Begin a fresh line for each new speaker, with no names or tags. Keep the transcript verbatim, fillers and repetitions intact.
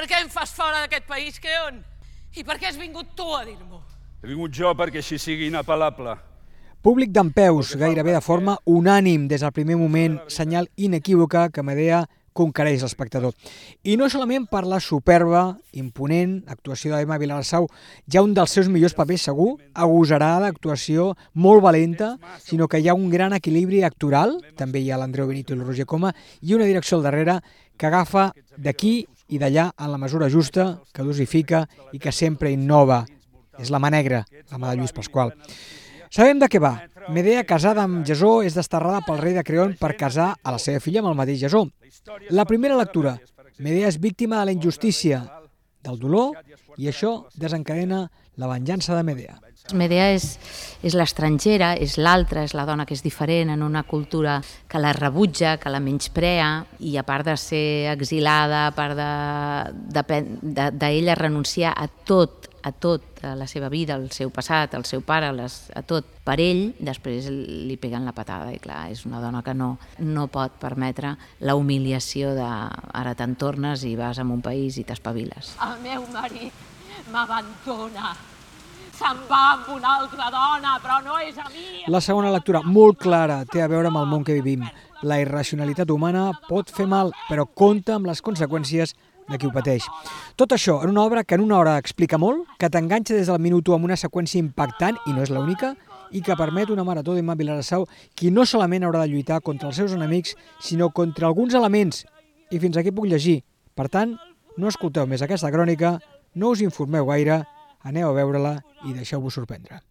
Per què em fas fora d'aquest país, Creon? I per què has vingut tu a dir-m'ho?
He vingut jo perquè així sigui inapel·lable.
Públic dempeus, gairebé de forma unànim des del primer moment, senyal inequívoca que Medea conquereix l'espectador. I no solament per la superba, imponent actuació d'Emma Vilarassau, ja un dels seus millors papers segur, agosarada, actuació molt valenta, sinó que hi ha un gran equilibri actoral, també hi ha l'Andreu Benito i el Roger Coma, i una direcció al darrere que agafa d'aquí i d'allà en la mesura justa, que dosifica i que sempre innova. És la mà negra, la mà de Lluís Pasqual. Sabem de què va. Medea, casada amb Jasó, és desterrada pel rei de Creon per casar a la seva filla amb el mateix Jasó. La primera lectura. Medea és víctima de la injustícia, del dolor, i això desencadena la venjança de Medea.
Medea és, és l'estrangera, és l'altra, és la dona que és diferent en una cultura que la rebutja, que la menysprea, i a part de ser exilada, a part d'ella de, de, de renunciar a tot, a tot, a la seva vida, al seu passat, al seu pare, les, a tot, per ell, després li peguen la patada, i clar, és una dona que no, no pot permetre la humiliació de ara te'n tornes i vas a un país i t'espaviles.
El meu marit m'abandona. Se'n va amb una altra dona, però no és a mi.
La segona lectura, molt clara, té a veure amb el món que vivim. La irracionalitat humana pot fer mal, però compta amb les conseqüències de qui ho pateix. Tot això en una obra que en una hora explica molt, que t'enganxa des del minut u amb una seqüència impactant, i no és l'única, i que permet una marató d'Emma Vilarassau, qui no solament haurà de lluitar contra els seus enemics, sinó contra alguns elements, i fins aquí puc llegir. Per tant, no escolteu més aquesta crònica, no us informeu gaire, aneu a veure-la i deixeu-vos sorprendre.